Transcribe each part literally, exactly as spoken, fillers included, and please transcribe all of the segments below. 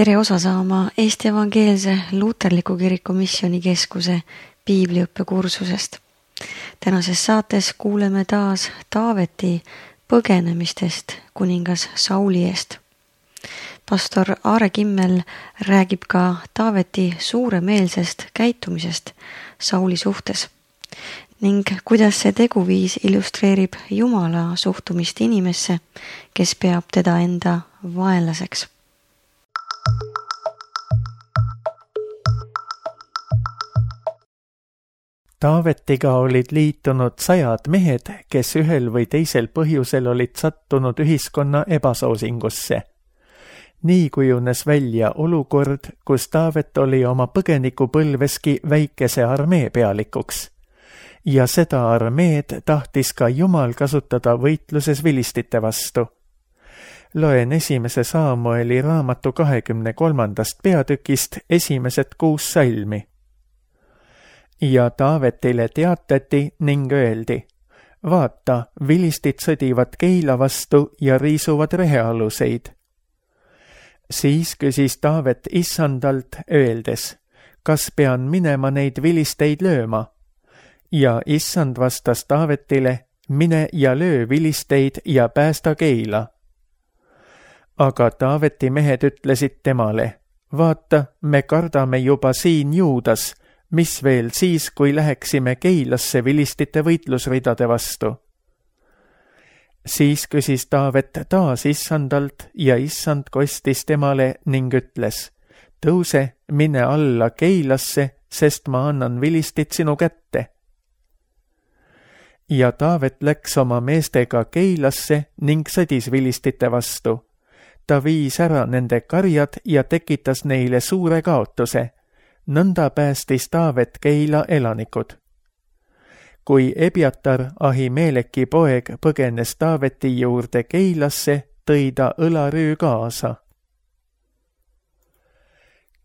Tere osa saama Eesti Evangeelse Luterliku Kiriku Missioonikeskuse piibliõppekursusest. Tänases saates kuuleme taas Taaveti põgenemistest kuningas Sauli eest. Pastor Aare Kimmel räägib ka Taaveti suuremeelsest käitumisest Sauli suhtes ning kuidas see teguviis illustreerib Jumala suhtumist inimesse, kes peab teda enda vaenlaseks. Taavetiga olid liitunud sajad mehed, kes ühel või teisel põhjusel olid sattunud ühiskonna ebasoosingusse. Nii kujunes välja olukord, kus Taavet oli oma põgenikupõlveski väikese armee pealikuks. Ja seda armeed tahtis ka Jumal kasutada võitluses vilistite vastu. Loen esimese Saamueli raamatu kahekümne kolmandast peatükist esimesed kuus salmi. Ja Taavetile teatati ning öeldi, vaata, vilistid sõdivad Keila vastu ja riisuvad rehealuseid. Siis küsis Taavet Issandalt öeldes, kas pean minema neid vilisteid lööma? Ja Issand vastas Taavetile, mine ja löö vilisteid ja päästa Keila. Aga Taaveti mehed ütlesid temale, vaata, me kardame juba siin Juudas, mis veel siis, kui läheksime Keilasse vilistite võitlusridade vastu. Siis küsis Taavet taas Issandalt ja Issand kostis temale ning ütles, tõuse, mine alla Keilasse, sest ma annan vilistid sinu kätte. Ja Taavet läks oma meestega Keilasse ning sõdis vilistite vastu. Ta viis ära nende karjad ja tekitas neile suure kaotuse. Nõnda päästis Taavet Keila elanikud. Kui Ebiatar, Ahimeleki poeg, põgenes Taaveti juurde Keilasse, tõi ta õlarüü kaasa.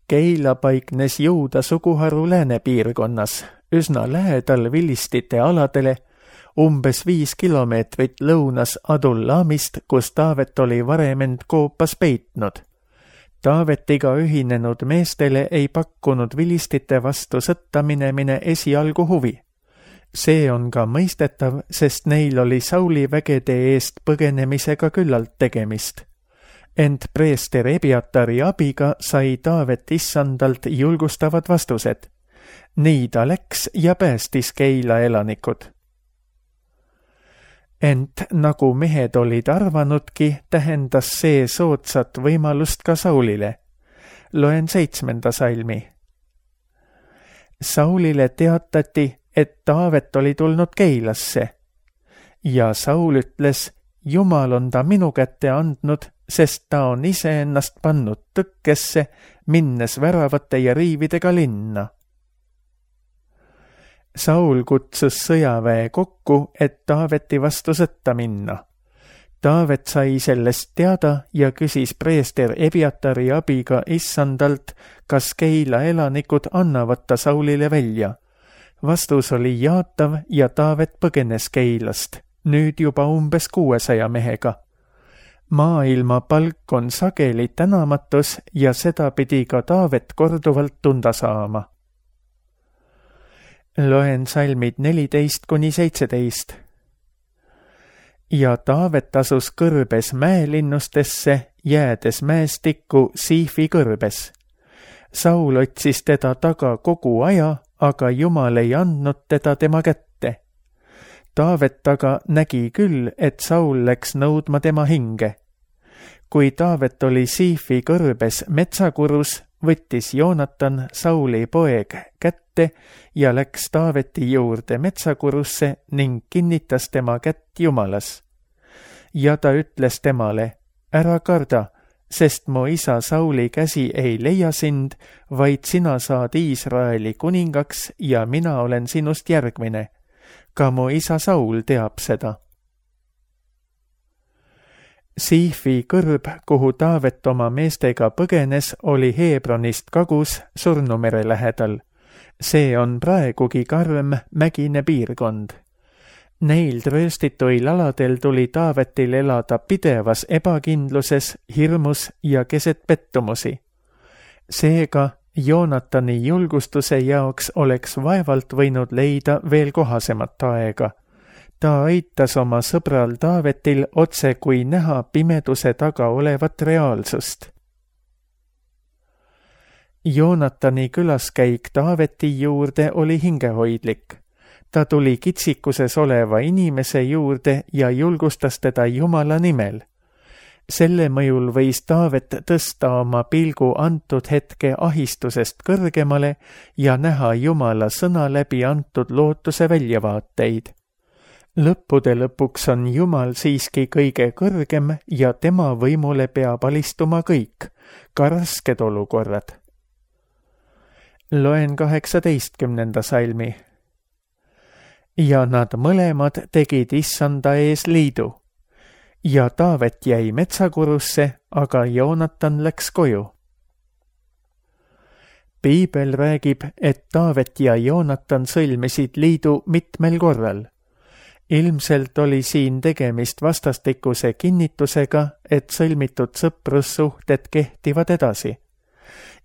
Keila paiknes Juuda suguharu läänepiirkonnas, üsna lähedal vilistite aladele, umbes viis kilomeetrit lõunas Adullamist, kus Taavet oli varem end koopas peitnud. Taavetiga ühinenud meestele ei pakkunud vilistite vastu sõtta minemine esialgu huvi. See on ka mõistetav, sest neil oli Sauli vägede eest põgenemisega küllalt tegemist. Ent preester Ebiatari abiga sai Taavet Issandalt julgustavad vastused. Nii ta läks ja päästis Keila elanikud. Ent nagu mehed olid arvanudki, tähendas see soodsat võimalust ka Saulile. Loen seitsmenda salmi. Saulile teatati, et Taavet oli tulnud Keilasse. Ja Saul ütles, Jumal on ta minu kätte andnud, sest ta on iseennast pannud tõkkesse, minnes väravate ja riividega linna. Saul kutsus sõjaväe kokku, et Taaveti vastu sõtta minna. Taavet sai sellest teada ja küsis preester Ebiatari abiga Issandalt, kas Keila elanikud annavad ta Saulile välja. Vastus oli jaatav ja Taavet põgenes Keilast, nüüd juba umbes kuuesaja mehega. Maailma palk on sageli tänamatus ja seda pidi ka Taavet korduvalt tunda saama. Loen salmid neliteist kuni seitseteist. Ja Taavet asus kõrbes mäelinnustesse, jäädes mäestikku Siifi kõrbes. Saul otsis teda taga kogu aja, aga Jumal ei andnud teda tema kätte. Taavet aga nägi küll, et Saul läks nõudma tema hinge. Kui Taavet oli Siifi kõrbes metsakurus, võttis Joonatan, Sauli poeg, kätte ja läks Taaveti juurde metsakurusse ning kinnitas tema kätt Jumalas. Ja ta ütles temale, ära karda, sest mu isa Sauli käsi ei leia sind, vaid sina saad Iisraeli kuningaks ja mina olen sinust järgmine. Ka mu isa Saul teab seda. Siifi kõrb, kuhu Taavet oma meestega põgenes, oli Heebronist kagus Surnumere lähedal. See on praegugi karm mägine piirkond. Neil trööstituil aladel tuli Taavetil elada pidevas ebakindluses, hirmus ja keset pettumusi. Seega Joonatani julgustuse jaoks oleks vaevalt võinud leida veel kohasemat aega. Ta aitas oma sõbral Taavetil otse kui näha pimeduse taga olevat reaalsust. Joonatani külaskäik Taaveti juurde oli hingehoidlik. Ta tuli kitsikuses oleva inimese juurde ja julgustas teda Jumala nimel. Selle mõjul võis Taavet tõsta oma pilgu antud hetke ahistusest kõrgemale ja näha Jumala sõna läbi antud lootuse väljavaateid. Lõppude lõpuks on Jumal siiski kõige kõrgem ja tema võimule peab alistuma kõik, ka rasked olukorrad. Loen kaheksateistkümnenda salmi. Ja nad mõlemad tegid issanda ees liidu. Ja Taavet jäi metsakurusse, aga Joonatan läks koju. Piibel räägib, et Taavet ja Joonatan sõlmisid liidu mitmel korral. Ilmselt oli siin tegemist vastastikuse kinnitusega, et sõlmitud sõprussuhted kehtivad edasi.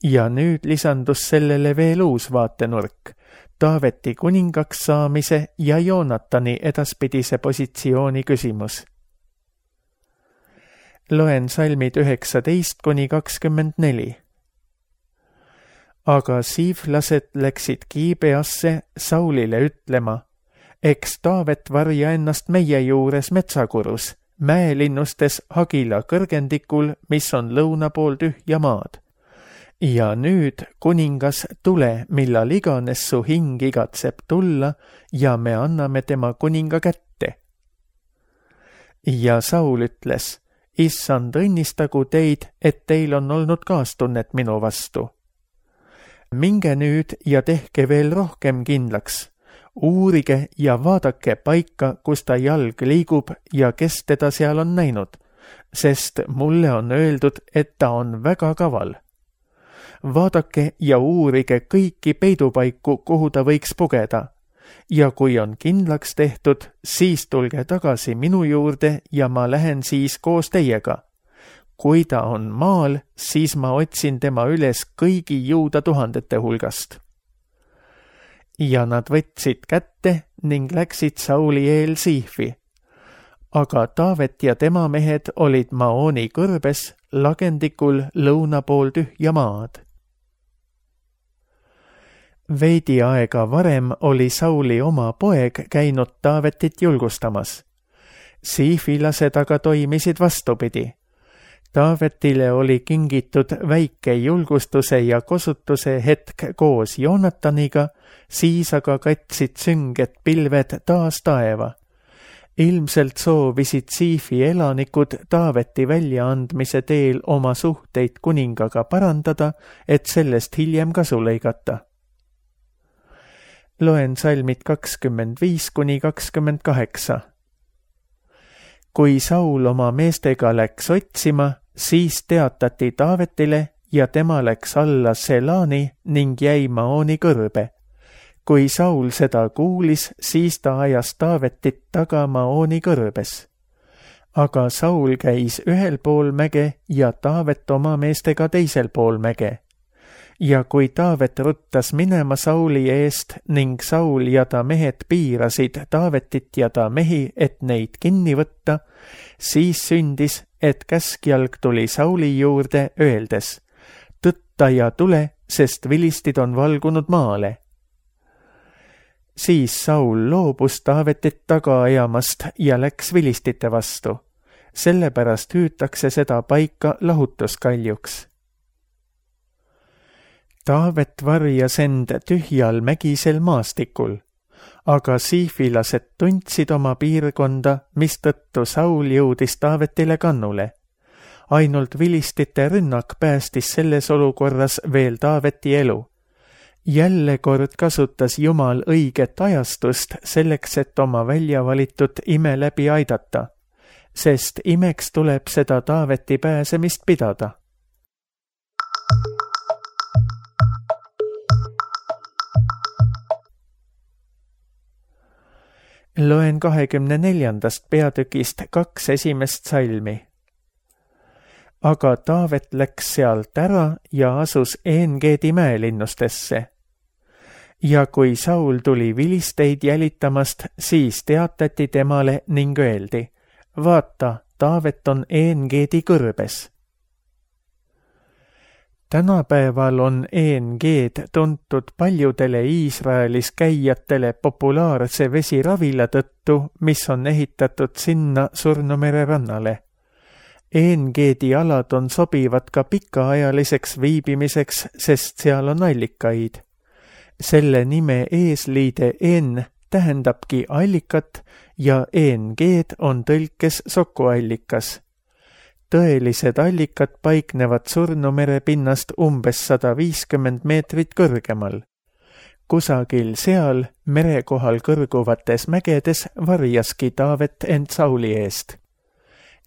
Ja nüüd lisandus sellele veel uus vaatenurk, Taaveti kuningaks saamise ja Joonatani edaspidise positsiooni küsimus. Loen salmid üheksateist kuni kakskümmend neli. Aga siiflased läksid Giibeasse Saulile ütlema, eks Taavet varja ennast meie juures metsakurus, mäelinnustes Hagila kõrgendikul, mis on lõuna pool tühja maad. Ja nüüd, kuningas, tule, millal iganes su hing igatseb tulla ja me anname tema kuninga kätte. Ja Saul ütles, issand õnnistagu teid, et teil on olnud kaastunnet minu vastu. Minge nüüd ja tehke veel rohkem kindlaks. Uurige ja vaadake paika, kus ta jalg liigub ja kes teda seal on näinud, sest mulle on öeldud, et ta on väga kaval. Vaadake ja uurige kõiki peidupaiku, kuhu ta võiks pugeda. Ja kui on kindlaks tehtud, siis tulge tagasi minu juurde ja ma lähen siis koos teiega. Kui ta on maal, siis ma otsin tema üles kõigi juuda tuhandete hulgast. Ja nad võtsid kätte ning läksid Sauli eel Siifi. Aga Taavet ja tema mehed olid Maoni kõrbes, lagendikul lõuna pool tühja maad. Veidi aega varem oli Sauli oma poeg käinud Taavetit julgustamas. Siifilased aga toimisid vastupidi. Taavetile oli kingitud väike julgustuse ja kosutuse hetk koos Joonataniga, siis aga katsid sünged pilved taas taeva. Ilmselt soovisid Siifi elanikud Taaveti väljaandmise teel oma suhteid kuningaga parandada, et sellest hiljem kasu lõigata. Loen salmid kakskümmend viis kuni kakskümmend kaheksa. Kui Saul oma meestega läks otsima, siis teatati Taavetile ja tema läks alla Selani ning jäi Maoni kõrbe. Kui Saul seda kuulis, siis ta ajas Taavetit taga Maoni kõrbes. Aga Saul käis ühel pool mäge ja Taavet oma meestega teisel pool mäge. Ja kui Taavet ruttas minema Sauli eest ning Saul ja ta mehed piirasid Taavetit ja ta mehi, et neid kinni võtta, siis sündis, et käskjalg tuli Sauli juurde öeldes, tõtta ja tule, sest vilistid on valgunud maale. Siis Saul loobus Taavetit taga ajamast ja läks vilistite vastu. Sellepärast hüütakse seda paika lahutuskaljuks. Taavet varjas end tühjal mägisel maastikul, aga siifilased tundsid oma piirkonda, mistõttu Saul jõudis Taavetile kannule. Ainult vilistite rünnak päästis selles olukorras veel Taaveti elu. Jälle kord kasutas Jumal õiget ajastust selleks, et oma välja valitud ime läbi aidata, sest imeks tuleb seda Taaveti pääsemist pidada. Loen kahekümne neljandast peatükist kaks esimest salmi. aga Taavet läks sealt ära ja asus En-Geedi mäelinnustesse. Ja kui Saul tuli vilisteid jälitamast, siis teatati temale ning öeldi, vaata, Taavet on En-Geedi kõrbes. Tänapäeval on En-Geed tuntud paljudele Iisraelis käijatele populaarse vesiravila tõttu, mis on ehitatud sinna Surnumere rannale. En-Geedi alad on sobivad ka pikaajaliseks viibimiseks, sest seal on allikaid. Selle nime eesliide En tähendabki allikat ja En-Geed on tõlkes sokuallikas. Tõelised allikad paiknevad Surnumere pinnast umbes sada viiskümmend meetrit kõrgemal. Kusagil seal merekohal kõrguvates mägedes varjaski Taavet end Sauli eest.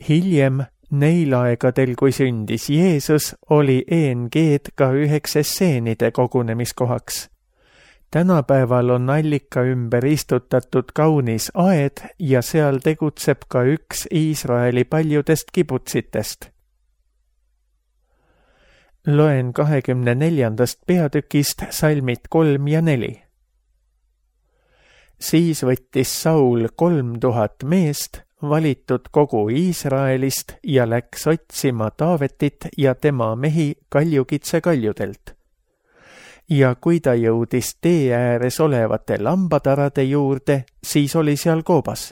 Hiljem, neil aegadel, kui sündis Jeesus, oli En-Geed ka üheks esseenide kogunemiskohaks. Tänapäeval on allika ümber istutatud kaunis aed ja seal tegutseb ka üks Iisraeli paljudest kibutsitest. Loen kahekümne neljandast peatükist salmid kolm ja neli. Siis võttis Saul kolm tuhat meest, valitud kogu Iisraelist, ja läks otsima Taavetit ja tema mehi kaljukitse kaljudelt. Ja kui ta jõudis tee ääres olevate lambatarade juurde, siis oli seal koobas.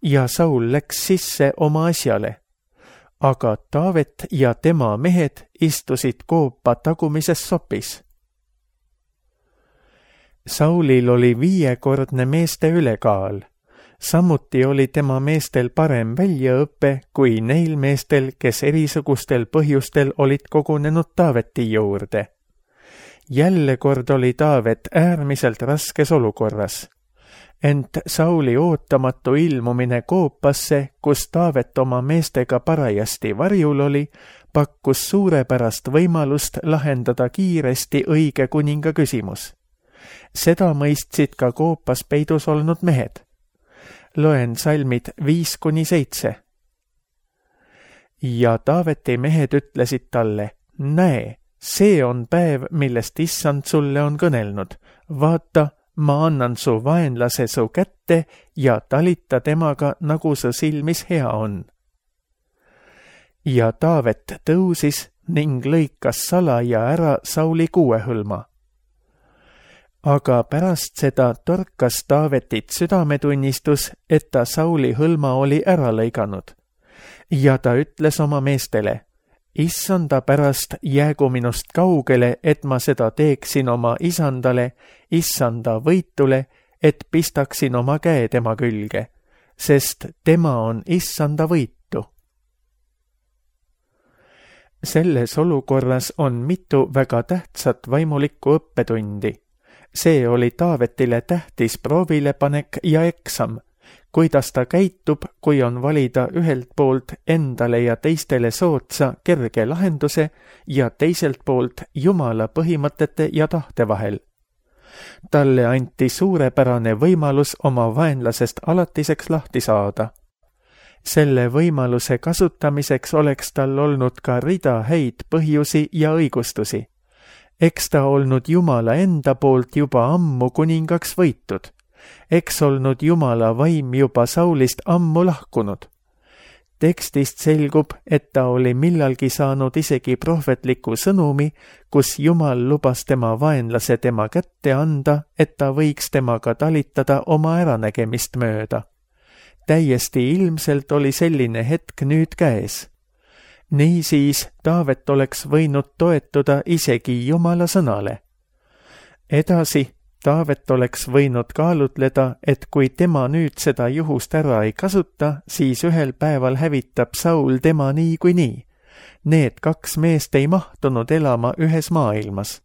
Ja Saul läks sisse oma asjale. Aga Taavet ja tema mehed istusid koopa tagumises sopis. Saulil oli viiekordne meeste ülekaal. Samuti oli tema meestel parem väljaõpe kui neil meestel, kes erisugustel põhjustel olid kogunenud Taaveti juurde. Jälle kord oli Taavet äärmiselt raskes olukorras. Ent Sauli ootamatu ilmumine koopasse, kus Taavet oma meestega parajasti varjul oli, pakkus suurepärast võimalust lahendada kiiresti õige kuninga küsimus. Seda mõistsid ka koopas peidus olnud mehed. Loen salmid viis kuni seitse. Ja Taaveti mehed ütlesid talle, näe, see on päev, millest issand sulle on kõnelnud. Vaata, ma annan su vaenlase su kätte ja talita temaga, nagu su silmis hea on. Ja Taavet tõusis ning lõikas salaja ära Sauli kuuehõlma. Aga pärast seda torkas Taavetit südametunnistus, et ta Sauli hõlma oli ära lõiganud. Ja ta ütles oma meestele, issanda pärast jäägu minust kaugele, et ma seda teeksin oma isandale, issanda võitule, et pistaksin oma käe tema külge, sest tema on issanda võitu. Selles olukorras on mitu väga tähtsat vaimulikku õppetundi. See oli Taavetile tähtis proovilepanek ja eksam, kuidas ta käitub, kui on valida ühelt poolt endale ja teistele sootsa kerge lahenduse ja teiselt poolt Jumala põhimõtete ja tahte vahel. Talle anti suurepärane võimalus oma vaenlasest alatiseks lahti saada. Selle võimaluse kasutamiseks oleks tal olnud ka rida häid põhjusi ja õigustusi. Eks ta olnud Jumala enda poolt juba ammu kuningaks võitud. Eks olnud Jumala vaim juba Saulist ammu lahkunud. Tekstist selgub, et ta oli millalgi saanud isegi prohvetliku sõnumi, kus Jumal lubas tema vaenlase tema kätte anda, et ta võiks temaga talitada oma äranägemist mööda. Täiesti ilmselt oli selline hetk nüüd käes. Niisiis Taavet oleks võinud toetuda isegi Jumala sõnale. Edasi Taavet oleks võinud kaalutleda, et kui tema nüüd seda juhust ära ei kasuta, siis ühel päeval hävitab Saul tema nii kui nii. Need kaks meest ei mahtunud elama ühes maailmas.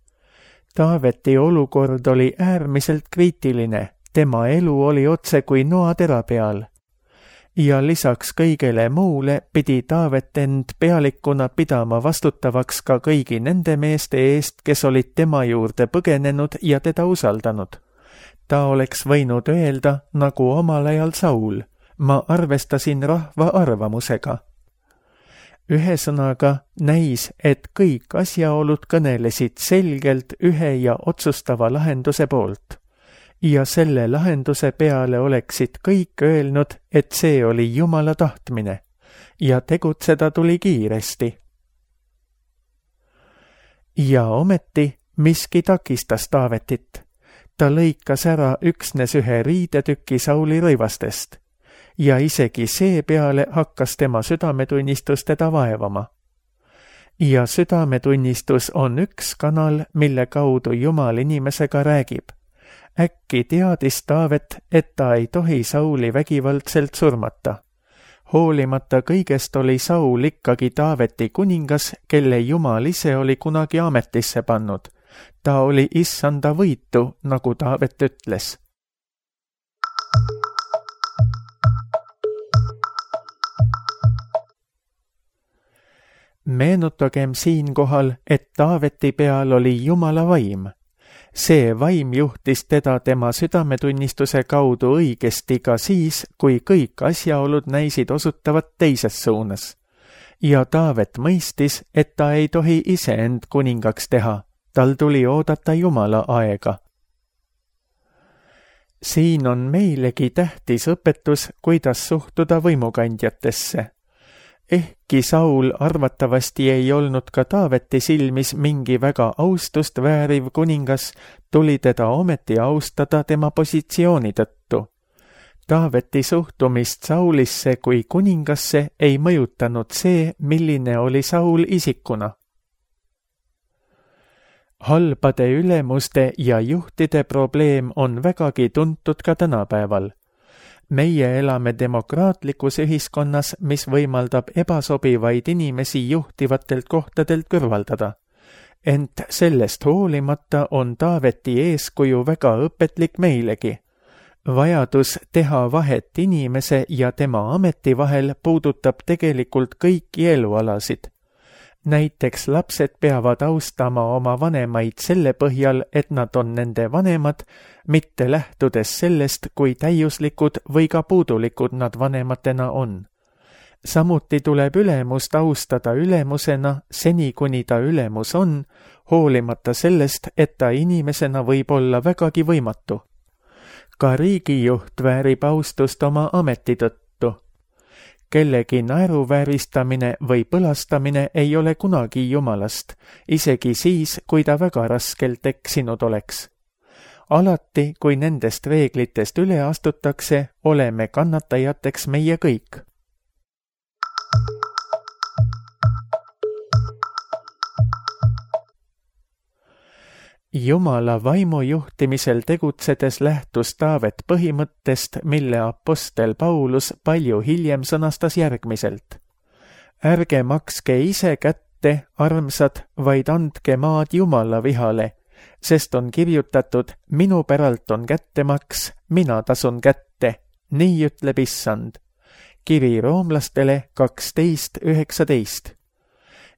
Taaveti olukord oli äärmiselt kriitiline, tema elu oli otse kui noatera peal. Ja lisaks kõigele muule pidi Taavet end pealikuna pidama vastutavaks ka kõigi nende meeste eest, kes olid tema juurde põgenenud ja teda usaldanud. Ta oleks võinud öelda, nagu omal ajal Saul, ma arvestasin rahva arvamusega. Ühesõnaga näis, et kõik asjaolud kõnelesid selgelt ühe ja otsustava lahenduse poolt. Ja selle lahenduse peale oleksid kõik öelnud, et see oli Jumala tahtmine ja tegutseda tuli kiiresti. Ja ometi miski takistas Taavetit. Ta lõikas ära üksnes ühe riidetüki Sauli rõivastest ja isegi see peale hakkas tema südametunnistus teda vaevama. Ja südametunnistus on üks kanal, mille kaudu Jumal inimesega räägib. Äkki teadis Taavet, et ta ei tohi Sauli vägivaldselt surmata. Hoolimata kõigest oli Saul ikkagi Taaveti kuningas, kelle Jumal ise oli kunagi ametisse pannud. Ta oli issanda võitu, nagu Taavet ütles. Meenutagem siinkohal, et Taaveti peal oli Jumala vaim. See vaim juhtis teda tema südametunnistuse kaudu õigesti ka siis, kui kõik asjaolud näisid osutavat teises suunas. Ja Taavet mõistis, et ta ei tohi iseend kuningaks teha. Tal tuli oodata Jumala aega. Siin on meilegi tähtis õpetus, kuidas suhtuda võimukandjatesse. Ehkki Saul arvatavasti ei olnud ka Taaveti silmis mingi väga austust vääriv kuningas, tuli teda ometi austada tema positsiooni tõttu. Taaveti suhtumist Saulisse kui kuningasse ei mõjutanud see, milline oli Saul isikuna. Halbade ülemuste ja juhtide probleem on vägagi tuntud ka tänapäeval. Meie elame demokraatlikus ühiskonnas, mis võimaldab ebasobivaid inimesi juhtivatelt kohtadelt kõrvaldada. Ent sellest hoolimata on Taaveti eeskuju väga õpetlik meilegi. Vajadus teha vahet inimese ja tema ameti vahel puudutab tegelikult kõiki elualasid. Näiteks lapsed peavad austama oma vanemaid selle põhjal, et nad on nende vanemad, mitte lähtudes sellest, kui täiuslikud või ka puudulikud nad vanematena on. Samuti tuleb ülemust austada ülemusena, seni kuni ta ülemus on, hoolimata sellest, et ta inimesena võib olla vägagi võimatu. Ka riigijuht väärib austust oma ameti tõttu. Kellegi naeruvääristamine või põlastamine ei ole kunagi Jumalast, isegi siis, kui ta väga raskelt eksinud oleks. Alati, kui nendest reeglitest üle astutakse, oleme kannatajateks meie kõik. Jumala vaimu juhtimisel tegutsedes lähtus Taavet põhimõttest, mille apostel Paulus palju hiljem sõnastas järgmiselt. Ärge makske ise kätte, armsad, vaid andke maad Jumala vihale, sest on kirjutatud, minu päralt on kättemaks, mina tasun kätte, nii ütleb issand. Kiri roomlastele kaksteist üheksateist.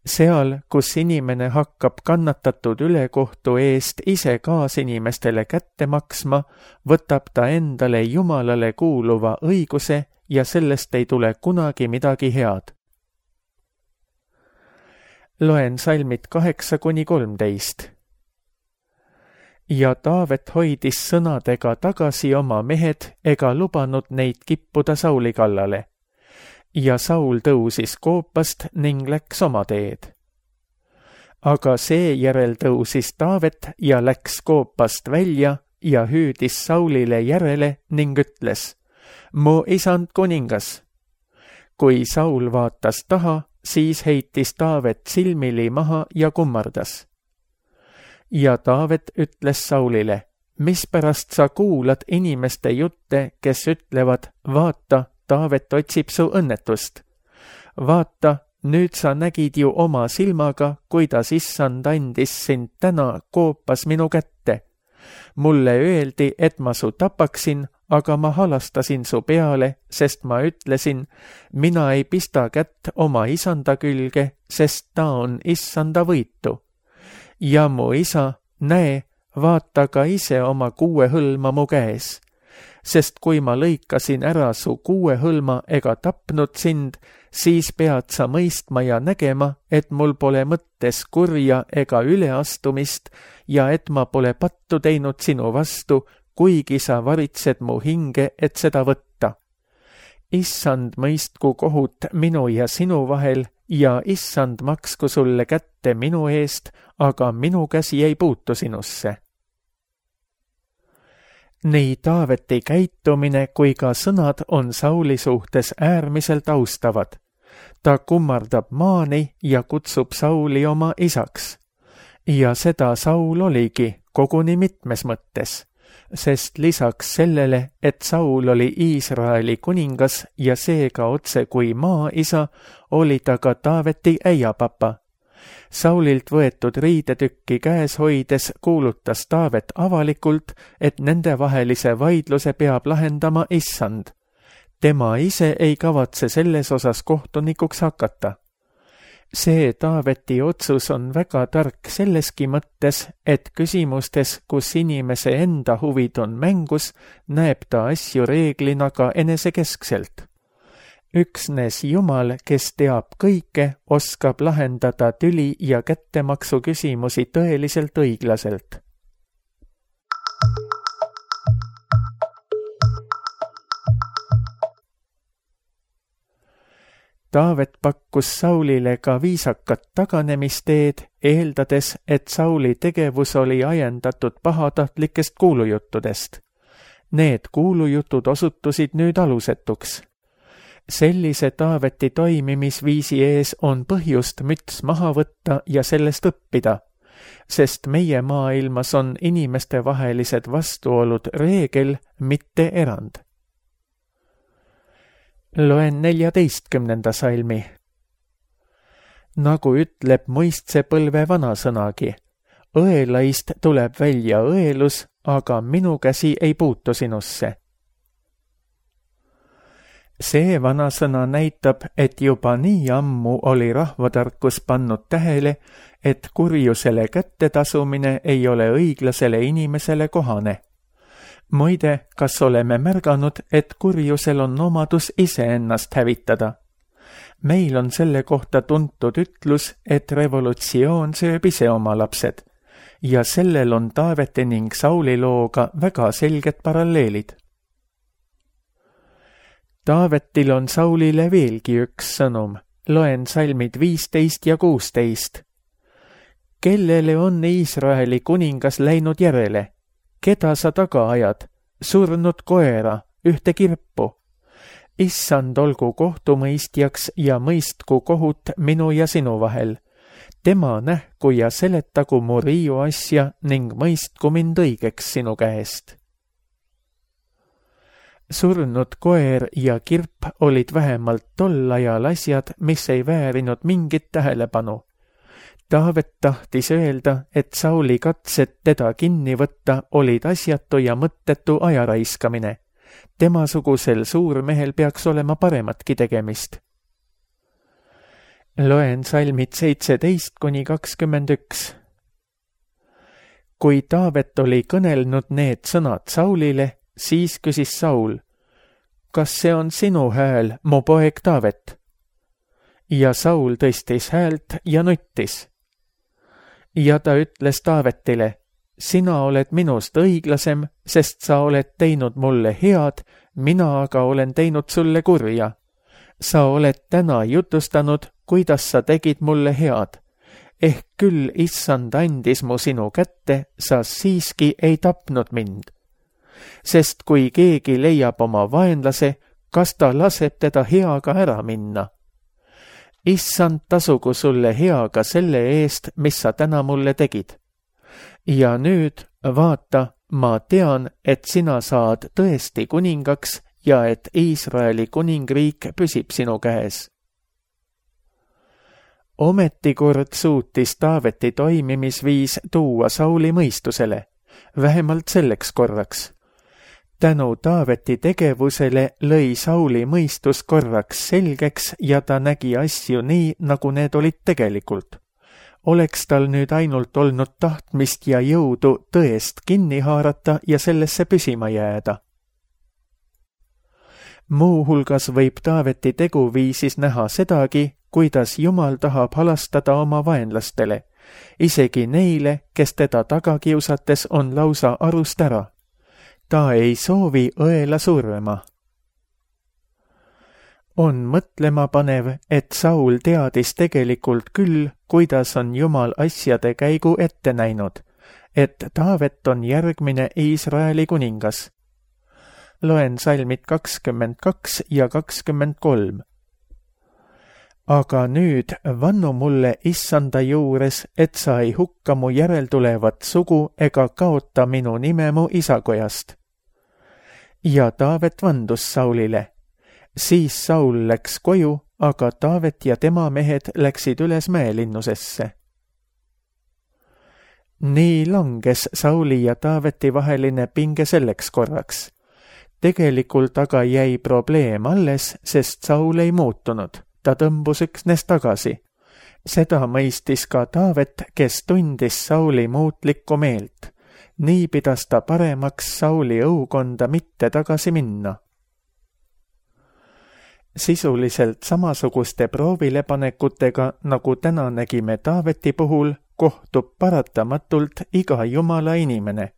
Seal, kus inimene hakkab kannatatud ülekohtu eest ise kaasinimestele kätte maksma, võtab ta endale Jumalale kuuluva õiguse ja sellest ei tule kunagi midagi head. Loen salmid kaheksa kuni kolmteist. Ja Taavet hoidis sõnadega tagasi oma mehed ega lubanud neid kippuda Sauli kallale. Ja Saul tõusis koopast ning läks oma teed. Aga seejärel tõusis Taavet ja läks koopast välja ja hüüdis Saulile järele ning ütles, mu isand kuningas. Kui Saul vaatas taha, siis heitis Taavet silmili maha ja kummardas. Ja Taavet ütles Saulile, mispärast sa kuulad inimeste jutte, kes ütlevad, vaata, Taavet otsib su õnnetust. Vaata, nüüd sa nägid ju oma silmaga, kuidas issand andis sind täna koopas minu kätte. Mulle öeldi, et ma su tapaksin, aga ma halastasin su peale, sest ma ütlesin, mina ei pista kätt oma isanda külge, sest ta on issanda võitu. Ja mu isa, näe, vaata ka ise oma kuue hõlma mu käes. sest kui ma lõikasin ära su kuuehõlma ega tapnud sind, siis pead sa mõistma ja nägema, et mul pole mõttes kurja ega üleastumist ja et ma pole pattu teinud sinu vastu, kuigi sa varitsed mu hinge, et seda võtta. Issand mõistku kohut minu ja sinu vahel ja issand maksku sulle kätte minu eest, aga minu käsi ei puutu sinusse. Nii Taaveti käitumine kui ka sõnad on Sauli suhtes äärmiselt austavad. Ta kummardab maani ja kutsub Sauli oma isaks. Ja seda Saul oligi koguni mitmes mõttes, sest lisaks sellele, et Saul oli Iisraeli kuningas ja seega otse kui maaisa, oli ta ka Taaveti äiapapa. Saulilt võetud riidetükki käes hoides kuulutas Taavet avalikult, et nendevahelise vaidluse peab lahendama issand. Tema ise ei kavatse selles osas kohtunikuks hakata. See Taaveti otsus on väga tark selleski mõttes, et küsimustes, kus inimese enda huvid on mängus, näeb ta asju reeglina ka enesekeskselt. Üksnes Jumal, kes teab kõike, oskab lahendada tüli ja kättemaksu küsimusi tõeliselt õiglaselt. Taavet pakkus Saulile ka viisakat taganemisteed, eeldades, et Sauli tegevus oli ajendatud pahatahtlikest kuulujuttudest. Need kuulujutud osutusid nüüd alusetuks. Sellise Taaveti toimimisviisi ees on põhjust müts maha võtta ja sellest õppida, sest meie maailmas on inimestevahelised vastuolud reegel, mitte erand. Loen neljateistkümnenda salmi. Nagu ütleb mõistse-põlve vanasõnagi, õelaist tuleb välja õelus, aga minu käsi ei puutu sinusse. See vanasõna näitab, et juba nii ammu oli rahvatarkus pannud tähele, et kurjusele kättetasumine ei ole õiglasele inimesele kohane. Muide, kas oleme märganud, et kurjusel on omadus iseennast hävitada? Meil on selle kohta tuntud ütlus, et revolutsioon sööb ise oma lapsed, ja sellel on Taaveti ning Sauli looga väga selged paralleelid. Taavetil on Saulile veelgi üks sõnum. Loen salmid viisteist ja kuusteist. Kellele on Iisraeli kuningas läinud järele? Keda sa taga ajad? Surnud koera, ühte kirpu. Issand olgu kohtumõistjaks ja mõistku kohut minu ja sinu vahel. Tema nähku ja seletagu mu riiu asja ning mõistku mind õigeks sinu käest. Surnud koer ja kirp olid vähemalt tol ajal asjad, mis ei väärinud mingit tähelepanu. Taavet tahtis öelda, et Sauli katsed teda kinni võtta olid asjatu ja mõttetu ajaraiskamine. Temasugusel suurmehel peaks olema parematki tegemist. Loen salmid seitseteist kuni kakskümmend üks. Kui Taavet oli kõnelnud need sõnad Saulile, siis küsis Saul, kas see on sinu hääl, mu poeg Taavet? Ja Saul tõstis häält ja nuttis. Ja ta ütles Taavetile, sina oled minust õiglasem, sest sa oled teinud mulle head, mina aga olen teinud sulle kurja. Sa oled täna jutustanud, kuidas sa tegid mulle head. Ehk küll issand andis mu sinu kätte, sa siiski ei tapnud mind. Sest kui keegi leiab oma vaenlase, kas ta laseb teda heaga ära minna? Issand tasugu sulle heaga selle eest, mis sa täna mulle tegid. Ja nüüd, vaata, ma tean, et sina saad tõesti kuningaks ja et Iisraeli kuningriik püsib sinu käes. Ometikord suutis Taaveti toimimisviis tuua Sauli mõistusele, vähemalt selleks korraks. Tänu Taaveti tegevusele lõi Sauli mõistus korraks selgeks ja ta nägi asju nii, nagu need olid tegelikult. Oleks tal nüüd ainult olnud tahtmist ja jõudu tõest kinni haarata ja sellesse püsima jääda. Muuhulgas võib Taaveti teguviisis näha sedagi, kuidas Jumal tahab halastada oma vaenlastele, isegi neile, kes teda taga kiusates on lausa arust ära. Ta ei soovi õela survema. On mõtlema panev, et Saul teadis tegelikult küll, kuidas on Jumal asjade käigu ette näinud, et Taavet on järgmine Iisraeli kuningas. Loen salmid kakskümmend kaks ja kakskümmend kolm. Aga nüüd vannu mulle issanda juures, et sa ei hukka mu järeltulevat sugu ega kaota minu nime mu isakojast. Ja Taavet vandus Saulile. Siis Saul läks koju, aga Taavet ja tema mehed läksid üles mäelinnusesse. Nii langes Sauli ja Taaveti vaheline pinge selleks korraks. Tegelikult aga jäi probleem alles, sest Saul ei muutunud. Ta tõmbus üksnes tagasi. Seda mõistis ka Taavet, kes tundis Sauli muutlikku meelt. Nii pidas ta paremaks Sauli õukonda mitte tagasi minna. Sisuliselt samasuguste proovilepanekutega, nagu täna nägime Taaveti puhul, kohtub paratamatult iga Jumala inimene.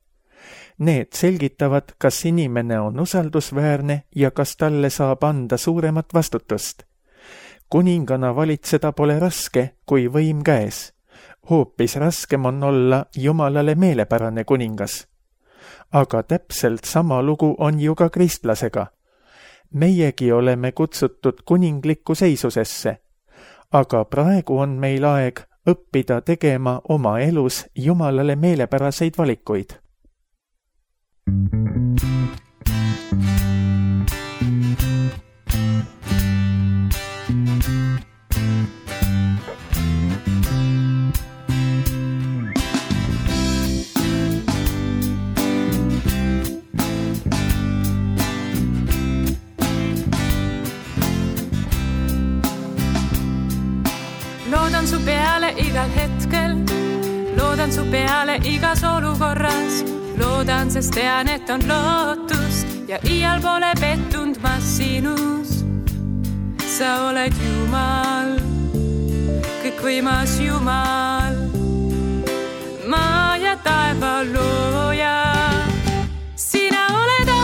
Need selgitavad, kas inimene on usaldusväärne ja kas talle saab anda suuremat vastutust. Kuningana valitseda pole raske, kui võim käes. Hoopis raskem on olla Jumalale meelepärane kuningas. Aga täpselt sama lugu on ju ka kristlasega. Meiegi oleme kutsutud kuninglikku seisusesse, aga praegu on meil aeg õppida tegema oma elus Jumalale meelepäraseid valikuid. Loodan su peale igal hetkel, loodan su peale igas olukorras, loodan, sest tean, et on lootust ja iial pole pettunud ma sinus. Sa oled Jumal, kõikvõimas Jumal, maa ja taeva looja. Sina oled A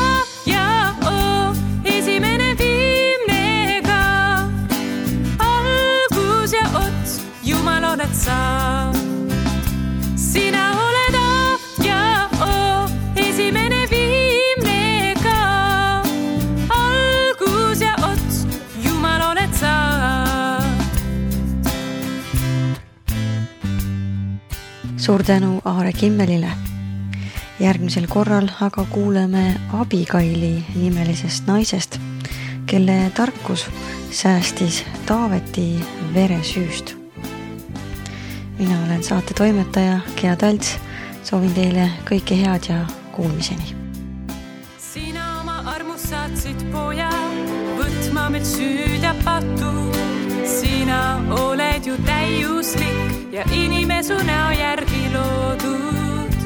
ja O, esimene viimne ka, algus ja ots, Jumal oled sa. Sina oled A ja O, esimene viimne ka, algus ja ots, Jumal oled sa. Suur tänu Aare Kimmelile. Järgmisel korral aga kuuleme Abigaili nimelisest naisest, kelle tarkus säästis Taaveti veresüüst. Mina olen saate toimetaja Gea Talts. Soovin teile kõike head ja kuulmiseni. Sina oma armust saatsid poja, võtma meil süüd ja patu. Sina oled ju täiuslik ja inimesu näo järgi loodud.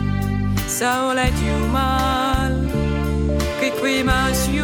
Sa oled Jumal, kõikvõimas Jumal.